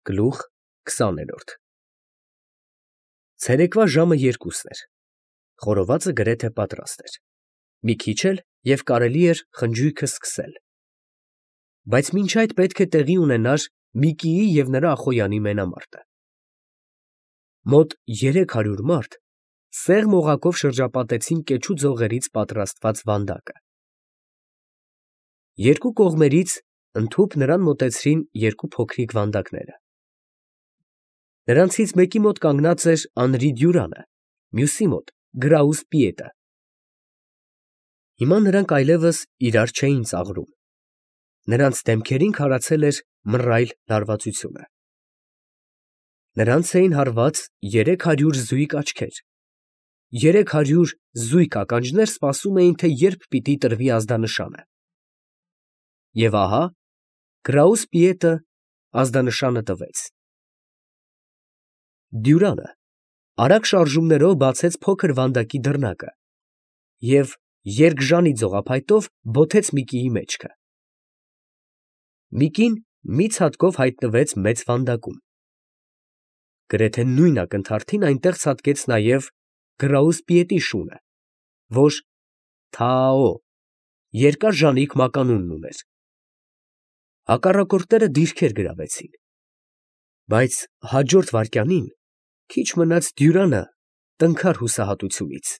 Գլուխ 20 Ցերեկվա ժամը 2-ն էր, խորովածը գրեթե պատրաստ էր, մի քիչ էլ և կարելի էր խնջույքը սկսել, բայց մինչ այդ պետք է տեղի ունենար Միկիի և նրա ախոյանի մենամարտը։ Մոտ 300 մարդ սեղմ օղակով շրջապատեցին կեչու ձողերից պատրաստված վանդակը։ Երկու կողմերից ընդհուպ նրան մոտեցրին երկու փոքրիկ վանդակները։ Նրանցից մեկի մոտ կանգնած էր անրի Դյուրանը, մյուսի մոտ Գրաուս Պիետը։ Հիմա նրանք այլևս իրար չէին ծաղրում, նրանց դեմքերին քարացել էր մռայլ լարվածությունը։ Նրանց էին հարված 300 զույգ աչքեր, 300 զույգ ականջներ սպասում էին, թե երբ պիտի տրվի ազդանշանը։ Եվ ահա Գրաուս Պիետը ազդանշանը տվեց։ Դյուրանը արագ շարժումներով բացեց փոքր վանդակի դռնակը և երկժանի ձողափայտով բոթեց Միկիի մեջքը։ Միկին մի ցատկով հայտնվեց մեծ վանդակում։ Գրեթե նույն ակնթարթին այնտեղ ցատկեց նաև Գրաուս Պիետի շունը, որ Թաո երկար ժանիք մականունն ուներ։ Հակառակորդները դիրքեր գրավեցին, բայց հաջորդ վայրկյանին քիչ մնաց Դյուրանը տնքար հուսահատությունից։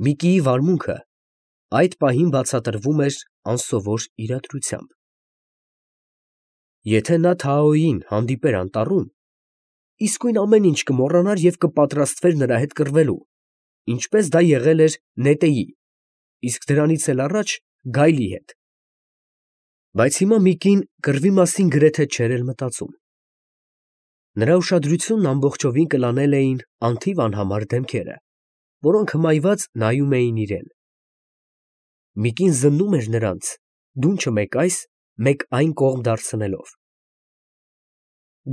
Միկիի վարմունքը այդ պահին բացատրվում էր անսովոր իրադրությամբ։ Եթե նա Թաոյին հանդիպեր անտառում, իսկույն ամեն ինչ կմոռանար և կպատրաստվեր նրա հետ կռվելու, ինչպես դա եղել էր Նետեի, իսկ դրանից էլ առաջ գայլի հետ։ Բայց հիմա Միկին կռվի մասին գրեթե չէր էլ մտածում։ Նրա ուշադրությունն ամբողջովին կլանել էին անթիվ անհամար դեմքերը, որոնք հմայված նայում էին իրան։ Միկին զննում էր նրանց, դունչը մեկ այս, մեկ այն կողմ դարձնելով։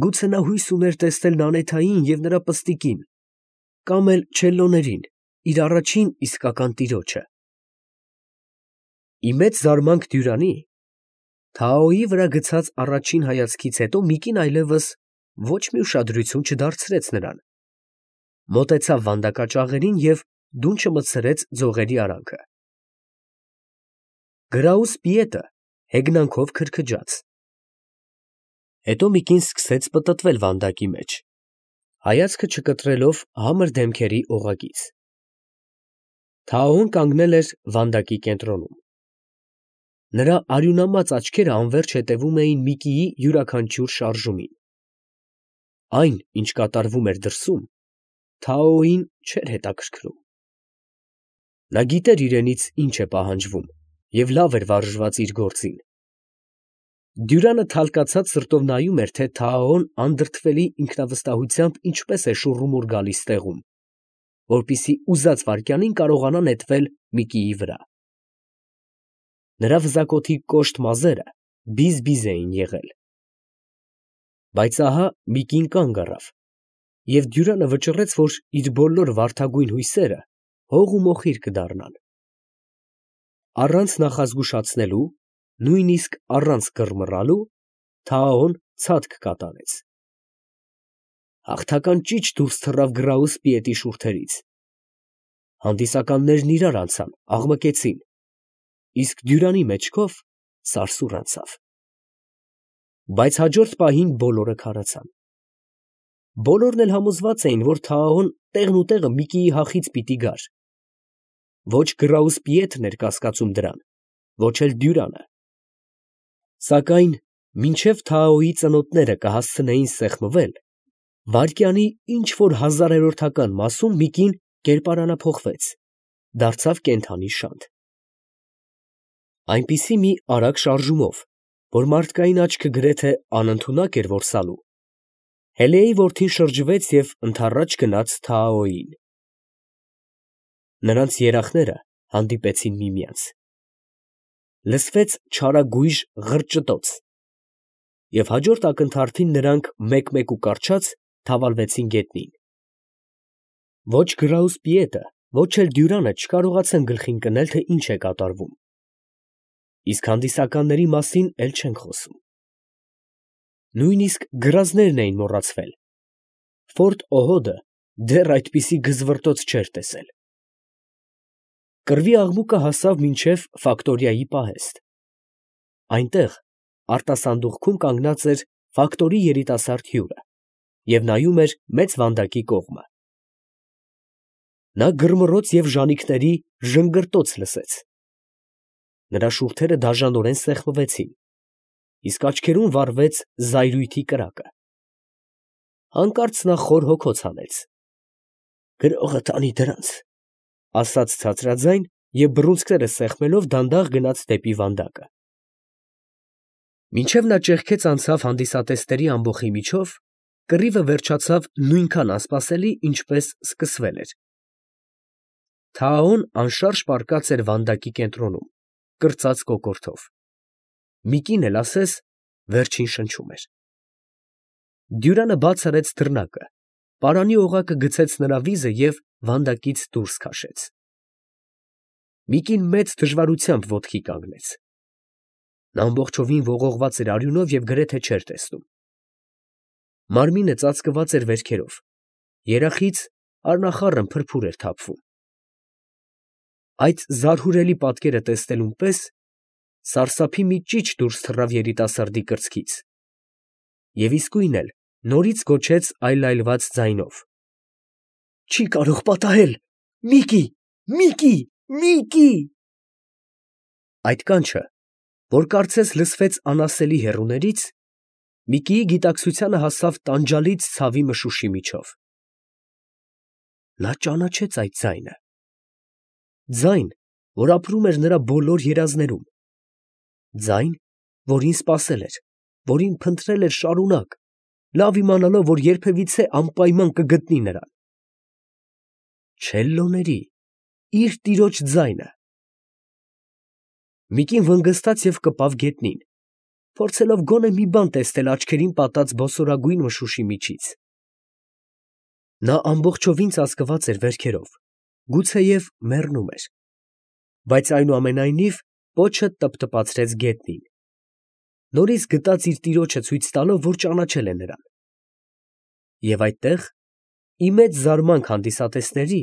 Գուցե նա հույս ուներ տեսնել Նանեթային և նրա պստիկին, կամ էլ չելլոներին, իր առաջին իսկական տիրոջը։ Ի մեծ զարմանք Դյուրանի, Թաոյի վրա գցած առաջին հայացքից հետո Միկին այլևս ոչ մի ուշադրություն չդարձրեց նրան, մոտեցավ վանդակաճաղերին և դունչը մտցրեց ձողերի արանքը։ Գրաուս Պիետը հեգնանքով քրքջաց։ Հետո Միկին սկսեց պտտվել վանդակի մեջ, հայացքը չկտրելով համր դեմքերի օղակից։ Թաոն կանգնել էր վանդակի կենտրոնում։ Նրա արյունամած աչքերը անվերջ հետևում էին Միկիի յուրաքանչյուր շարժումին։ Այն, ինչ կատարվում էր դրսում, Թաոյին չէր հետաքրքրում։ Նա գիտեր իրենից ինչ է պահանջվում և լավ էր վարժված իր գործին։ Դյուրանը թալկացած սրտով նայում էր, թե Թաոն անդրդվելի ինքնավստահությամբ ինչպես է շուռումուռ գալիս տեղում, որպեսզի ուզած վայրկյանին կարողանա նետվել Միկիի վրա։ Նրա վզակոթի կոշտ մազերը բիզ֊բիզ էին եղել։ Բայց ահա Միկին կանգ առավ, և Դյուրանը վճռեց, որ իր բոլոր վարդագույն հույսերը հող ու մոխիր կդառնան։ Առանց նախազգուշացնելու, նույնիսկ առանց կռմռալու, Թաոն ցատկ կատարեց։ Հաղթական ճիչ դուրս թռավ Գրաուս Պիետի շուրթերից։ Հանդիսականներն իրար անցան, աղմկեցին, իսկ Դյուրանի մեջքով սարսուռ անցավ։ Բայց հաջորդ պահին բոլորը քարացան։ Բոլորն էլ համոզված էին, որ Թաոն տեղնուտեղը Միկիի հախից պիտի գար։ Ոչ Գրաուս Պիետն էր կասկածում դրան, ոչ էլ Դյուրանը։ Սակայն մինչև Թաոյի ծնոտները կհասցնեին սեղմվել, վայրկյանի ինչ֊որ հազարերորդական մասում Միկին կերպարանափոխվեց, դարձավ կենդանի շանթ։ Այնպիսի մի արագ շարժումով, որ մարդկային աչքը գրեթե անընդունակ էր որսալու, Հելեի որդին շրջվեց և ընդառաջ գնաց Թաոյին։ Նրանց երախները հանդիպեցին միմյանց։ Լսվեց չարագույժղրճտոց, և հաջորդ ակնթարթին նրանք մեկ֊մեկ ու կառչած թավալվեցին գետնին։ Ոչ Գրաուս Պիետը, ոչ էլ Դյուրանը չկարողացան գլխին կնել, թե ինչ է կատարվում, իսկ հանդիսականների մասին էլ չենք խոսում։ Նույնիսկ գրազներն էին մոռացվել։ Ֆորտ Օհոդը դեռ այդպիսի գզվռտոց չէր տեսել։ Կռվի աղմուկը հասավ մինչև ֆակտորիայի պահեստ։ Այնտեղ արտասանդուղքում կանգնած էր ֆակտորի երիտասարդ հյուրը և նայում էր մեծ վանդակի կողմը։ Նա գրմռոց և ժանիքների ժնգրտոց լսեց։ Նրա շուրթերը դաժանորեն սեղմվեցին, իսկ աչքերում վառվեց զայրույթի կրակը։ Հանկարծ նա խոր հոգոց հանեց։ «Գրողը տանի դրանց», ֊ ասաց ցածրաձայն և բռունցքները սեղմելով դանդաղ գնաց դեպի վանդակը։ Մինչև նա ճեղքեց անցավ հանդիսատեսների ամբոխի միջով, կռիվը վերջացավ նույնքան անսպասելի, ինչպես սկսվել էր։ Թաոն անշարժ պառկած էր վանդակի կենտրոնում, կրծած կոկորդով։ Միկին էլ ասես վերջին շնչում էր։ Դյուրանը բաց արեց դռնակը, պարանի օղակը գցեց նրա վիզը և վանդակից դուրս քաշեց։ Միկին մեծ դժվարությամբ ոտքի կանգնեց։ Նա ամբողջովին ողողված էր արյունով և գրեթե չէր տեսնում։ Մարմինը ծածկված էր վերքերով, երախից առնախառն փրփուր էր թափվում։ Այդ զարհուրելի պատկերը տեսնելուն պես սարսափի մի ճիչ դուրս թռավ երիտասարդի կրծքից, և իսկույն էլ նորից գոչեց այլայլված ձայնով. «Չի կարող պատահել, Միկի, Միկի, Միկի»։ Այդ կանչը, որ կարծես լսվեց անասելի հեռուներից, Միկիի գիտակցությանը հասավ տանջալից ցավի մշուշի միջով։ Նա ճանաչեց այդ ձայնը։ Ձայն, որ ապրում էր նրա բոլոր երազներում։ Ձայն, որին սպասել էր, որին փնտրել էր շարունակ, լավ իմանալով, որ երբևիցե անպայման կգտնի նրան։ Չելլոների, իր տիրոջ ձայնը։ Միկին վնգստաց և կպավ գետնին, փորձելով գոնե մի բան տեսնել աչքերին պատած բոսորագույն մշուշի միջից։ Նա ամբողջովին ծածկված էր վերքերով, գուցեև մեռնում էր, բայց այնուամենայնիվ պոչը տպտպացրեց գետնին, նորից գտած իր տիրոջը ցույց տալով, որ ճանաչել է նրան։ Եվ այդտեղ, ի մեծ զարմանք հանդիսատեսների,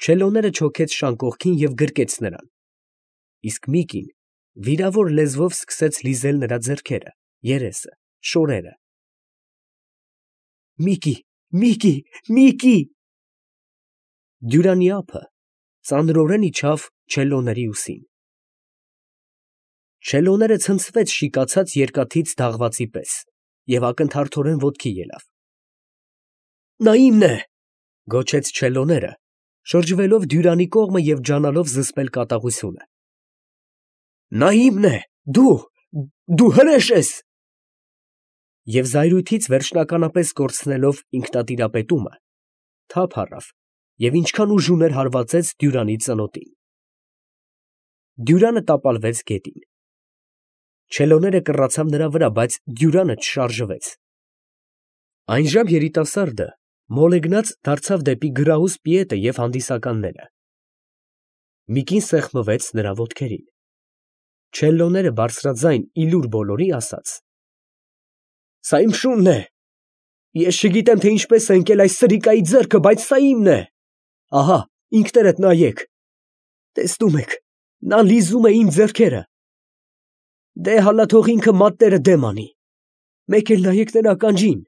չելոները չոքեց շան կողքին և գրկեց նրան, իսկ Միկին վիրավոր լեզվով սկսեց լիզել նրա ձեռքերը, երեսը, շորերը։ «Միկի, Միկի, Միկի»։ Դյուրանի ափը ծանրորեն իջավ չելլոների ուսին։ Չելլոները ցնցվեց շիկացած երկաթից դաղվածի պես և ակնթարթորեն ոտքի ելավ։ «Նա իմն է», ֊ գոչեց չելլոները, շրջվելով Դյուրանի կողմը և ջանալով զսպել կատաղությունը։ «Նա իմն է, դու հրեշ ես»։ Եվ զայրույթից վերջնականապես կորցնելով ինքնատիրապետումը, թափ առավ և ինչքան ուժ ուներ հարվածեց Դյուրանի ծնոտին։ Դյուրանը տապալվեց գետին։ Չելոները կռացան նրա վրա, բայց Դյուրանը չշարժվեց։ Այնժամ երիտասարդը մոլեգնած դարձավ դեպի գրահուս պիետը և հանդիսականները։ Միկին սեղմվեց նրա ոտքերին։ Չելլոները բարձրաձայն ի լուր բոլորի ասաց. «Սա իմ շունն է։ Ես չգիտեմ, թե ինչպես է ընկել այս սրիկայի ձեռքը, բայց սա իմն է։ Ահա, ինքներդ նայեք. տեսնում եք, նա լիզում է իմ ձեռքերը։ Դե հալա թող ինքը մատները դեմ անի, մեկ էլ նայեք նրա ականջին։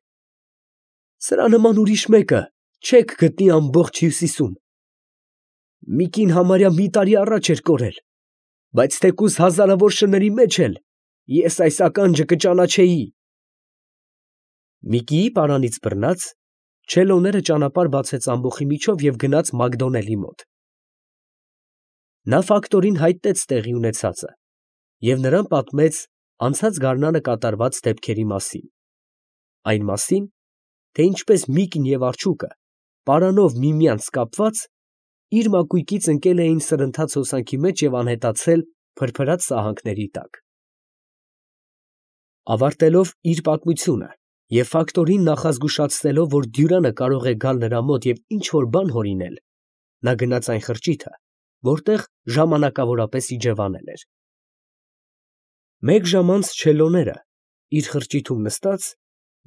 Սրա նման ուրիշ մեկը չեք գտնի ամբողջ Հյուսիսում։ Միկին համարյա մի տարի առաջ էր կորել, բայց թեկուզ հազարավոր շների մեջ էլ ես այս ականջը կճանաչեի»։ Միկիի պարանից բռնած, չելոները ճանապարհ բացեց ամբոխի միջով և գնաց Մակդոնելի մոտ։ Նա ֆակտորին հայտնեց տեղի ունեցածը և նրան պատմեց անցած գարնանը կատարված դեպքերի մասին, այն մասին, թե ինչպես Միկին և արջուկը, պարանով միմյանց կապված, իր մակույկից ընկել էին սրընթաց հոսանքի մեջ և անհետացել փրփրած սահանքների տակ։ Ավարտելով իր պատմությունը և ֆակտորին նախազգուշացնելով, որ Դյուրանը կարող է գալ նրա մոտ և ինչ֊որ բան հորինել, նա գնաց այն խրճիթը, որտեղ ժամանակավորապես իջևանել էր։ Մեկ ժամ անց չելլոները, իր խրճիթում նստած,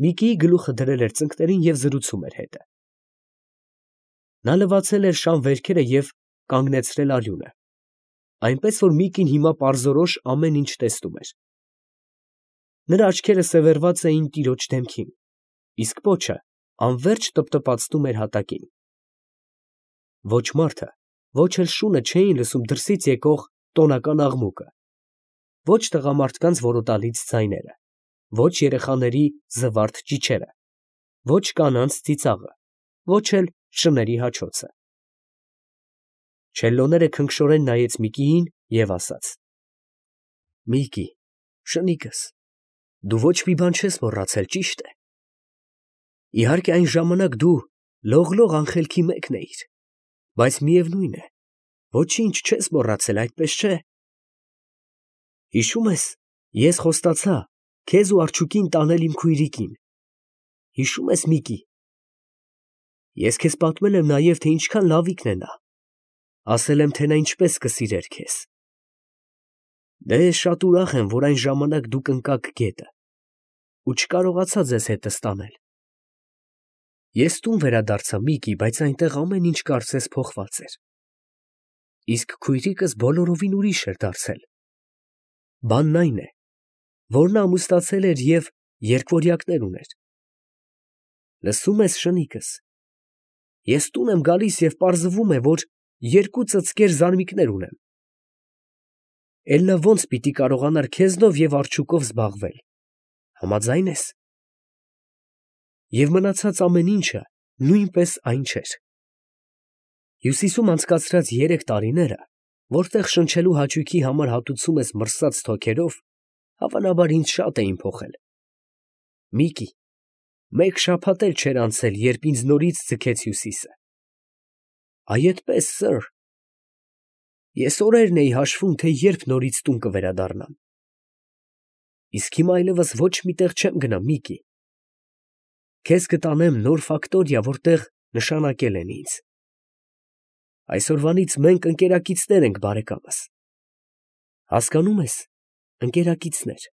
Միկիի գլուխը դրել էր ծնկներին և զրուցում էր հետը։ Նա լվացել էր շան վերքերը և կանգնեցրել արյունը, այնպես որ Միկին հիմա պարզորոշ ամեն ինչ տեսնում էր։ Նրա աչքերը սևեռված էին տիրոջ դեմքին, իսկ պոչը անվերջ տպտպացնում էր հատակին։ Ոչ մարդը, ոչ էլ շունը չէին լսում դրսից եկող տոնական աղմուկը, ոչ տղամարդկանց որոտալից ձայները, ոչ երեխաների զվարթ ճիչերը, ոչ կանանց ծիծաղը, ոչ էլ շների հաչոցը։ Չելլոները քնքշորեն նայեց Միկիին և ասաց. «Միկի, շնիկս, դու ոչ մի բան չես մոռացել, ճիշտ է։ Իհարկե այն ժամանակ դու լող անխելքի մեկն էիր, բայց միևնույն է, ոչինչ չես մոռացել, այդպես չէ։ Հիշում ես, ես խոստացա քեզ ու Արջուկին տանել իմ քույրիկին։ Հիշում ես, Միկի։ Ես քեզ պատմել եմ նաև, թե ինչքան լավիկն է նա, ասել եմ, թե նա ինչպես կսիրեր քեզ։ Դե շատ ուրախ եմ, որ այն ժամանակ դուք ընկաք գետը ու չկարողացա ձեզ հետս տանել։ Ես տուն վերադարձա, Միկի, բայց այնտեղ ամեն ինչ կարծես փոխված էր։ Իսկ քույրիկս բոլորովին ուրիշ էր դարձել։ Բանն այն է, որ նա ամուսնացել էր և երկվորյակներ ուներ։ Լսում ես, շնիկս, ես տուն եմ գալիս և պարզվում է, որ երկու ծծկեր զարմիկներ ունեմ։ Էլ նա ո՞նց պիտի կարողանար քեզնով և Արջուկով զբաղվել, համաձա՞յն ես։ Եվ մնացած ամեն ինչը նույնպես այն չէր։ Հյուսիսում անցկացրած 3 տարիները, որտեղ շնչելու հաճույքի համար հատուցում ես մրսած թոքերով, հավանաբար ինձ շատ էին փոխել։ Միկի, մեկ շաբաթ էլ չէր անցել, երբ ինձ նորից ձգեց Հյուսիսը։ Այ էդպես, սըր։ Ես օրերն էի հաշվում, թե երբ նորից տուն կվերադառնամ։ Իսկ հիմա այլևս ոչ մի տեղ չեմ գնա, Միկի։ Քեզ կտանեմ նոր ֆակտորիա, որտեղ նշանակել են ինձ։ Այսօրվանից մենք ընկերակիցներ ենք, բարեկամս։ Հասկանում ես, ընկերակիցներ։